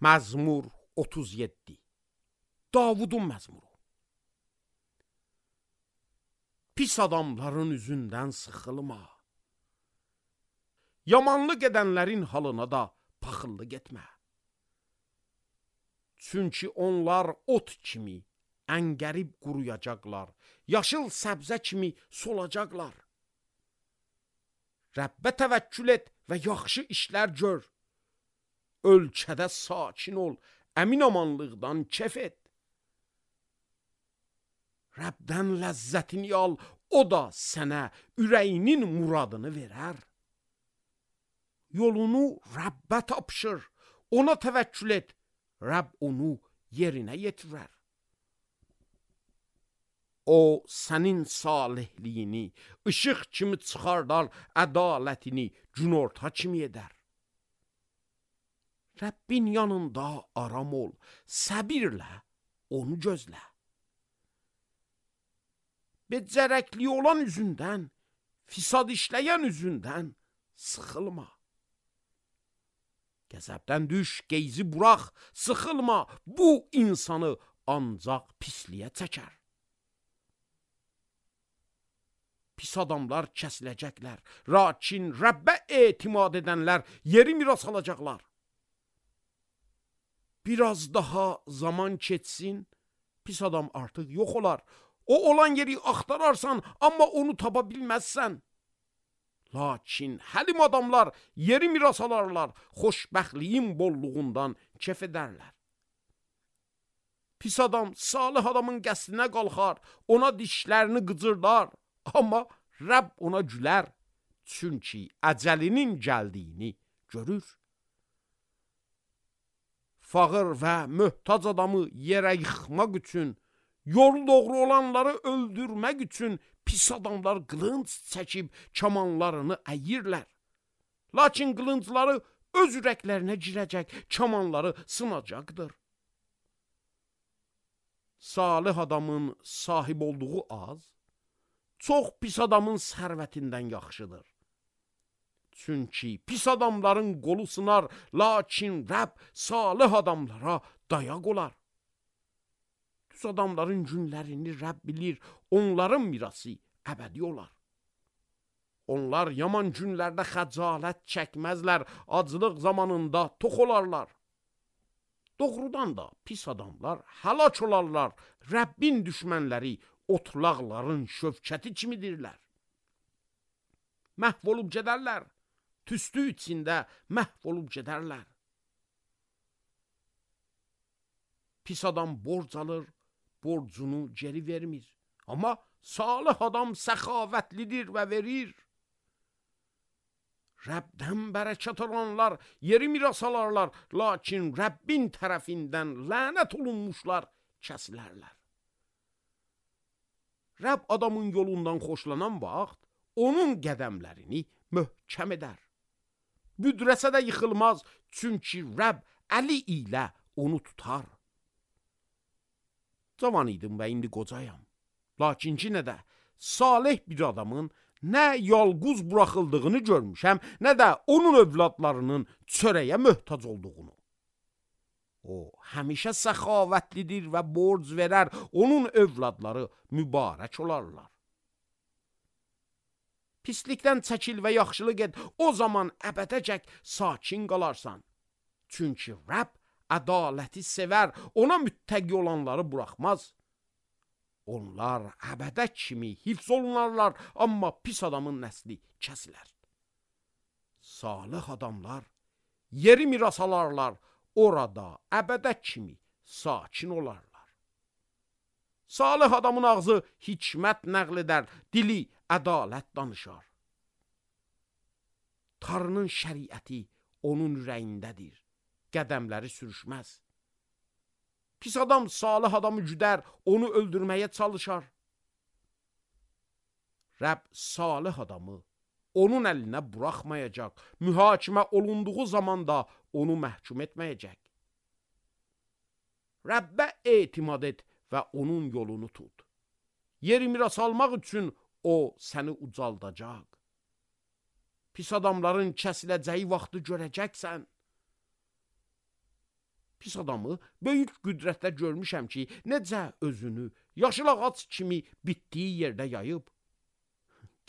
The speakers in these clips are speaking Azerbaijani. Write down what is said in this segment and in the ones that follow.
Məzmur 37. Davudun məzmuru. Pis adamların üzündən sıxılma. Yamanlıq edənlərin halına da paxıllı getmə. Çünki onlar ot kimi əngərib quruyacaqlar, yaşıl səbzə kimi solacaqlar. Rəbbə təvəkkül et və yaxşı işlər gör. Ölkədə sakin ol, əmin amanlıqdan kef et. Rəbdən ləzzətini al, o da sənə ürəyinin muradını verər. Yolunu Rəbbə tapşır, ona təvəkkül et, Rəbb onu yerinə yetirər. O sənin salihliyini işıq kimi çıxardar, ədalətini günorta kimi edər. Rəbbin yanında aram ol, səbirlə onu gözlə. Becərəkli olan üzündən, fisad işləyən üzündən sıxılma. Qəzəbdən düş, qeyzi burax, sıxılma, bu insanı ancaq pisliyə çəkər. Pis adamlar kəsiləcəklər, lakin Rəbbə etimad edənlər yeri miras alacaqlar. Biraz daha zaman keçsin, pis adam artıq yox olar. O olan yeri axtararsan, amma onu tapa bilməzsən. Lakin həlim adamlar yeri miras alarlar, xoşbəxtliyin bolluğundan kef edərlər. Pis adam salih adamın qəsdinə qalxar, ona dişlərini qıcırdar, amma Rəbb ona gülər, çünki əcəlinin gəldiyini görür. Fağır və möhtac adamı yerə yıxmaq üçün, yolu doğru olanları öldürmək üçün pis adamlar qılınc çəkib kamanlarını əyirlər. Lakin qılıncları öz ürəklərinə girəcək, kamanları sınacaqdır. Salih adamın sahib olduğu az, çox pis adamın sərvətindən yaxşıdır. Çünki pis adamların qolu sınar, lakin Rəbb salih adamlara dayaq olar. Düz adamların günlərini Rəbb bilir, onların mirası əbədi olar. Onlar yaman günlərdə xəcalət çəkməzlər, aclıq zamanında tox olarlar. Doğrudan da pis adamlar həlak olarlar, Rəbbin düşmənləri otlaqların şövkəti kimidirlər. Məhv olub gedərlər, tüstü içində məhv olub gedərlər. Pis adam borc alır, borcunu geri vermir. Amma salih adam səxavətlidir və verir. Rəbdən bərəkət olanlar yeri miras alarlar, lakin Rəbbin tərəfindən lənət olunmuşlar kəsilərlər. Rəbb adamın yolundan xoşlanan vaxt, onun qədəmlərini möhkəm edər. Büdrəsə də yıxılmaz, çünki Rəbb əli ilə onu tutar. Cavan idim və indi qocayam. Lakin yenə də salih bir adamın nə yalquz buraxıldığını görmüşəm, nə də onun övladlarının çörəyə möhtac olduğunu. O, həmişə səxavətlidir və borc verər, onun övladları mübarək olarlar. Pislikdən çəkil və yaxşılıq et, o zaman əbədəcək sakin qalarsan. Çünki Rəbb ədaləti sevər, ona müttəqi olanları buraxmaz. Onlar əbədə kimi hifz olunarlar, amma pis adamın nəsli kəsilər. Salih adamlar yeri miras alarlar, orada əbədə kimi sakin olarlar. Salih adamın ağzı hikmət nəql edər, dili ədalət danışar. Tanrının şəriəti onun ürəyindədir, qədəmləri sürüşməz. Pis adam salih adamı güdər, onu öldürməyə çalışar. Rəbb salih adamı onun əlinə buraxmayacaq, mühakimə olunduğu zaman da onu məhkum etməyəcək. Rəbbə etimad et və onun yolunu tut. Yeri miras almaq üçün o səni ucaldacaq. Pis adamların kəsiləcəyi vaxtı görəcəksən. Pis adamı böyük qüdrətdə görmüşəm ki, necə özünü yaşıl ağac kimi bitdiyi yerdə yayıb.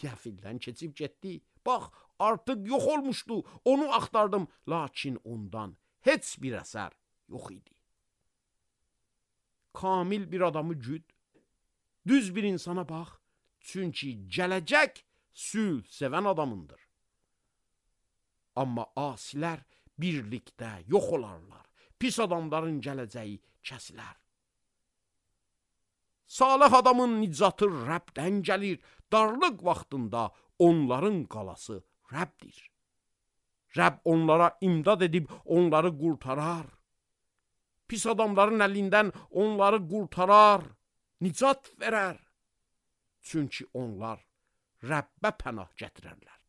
Qəfildən keçib getdi. Bax, artıq yox olmuşdu. Onu axtardım, lakin ondan heç bir əsər yox idi. Kamil bir adamı güd. Düz bir insana bax, çünki gələcək sülh sevən adamındır. Amma asilər birlikdə yox olarlar. Pis adamların gələcəyi kəsilər. Salih adamın nicatı Rəbdən gəlir. Darlıq vaxtında onların qalası Rəbdir. Rəbb onlara imdad edib onları qurtarar. Pis adamların əlindən onları qurtarar, nicat verər. Çünki onlar Rəbbə pənah gətirərlər.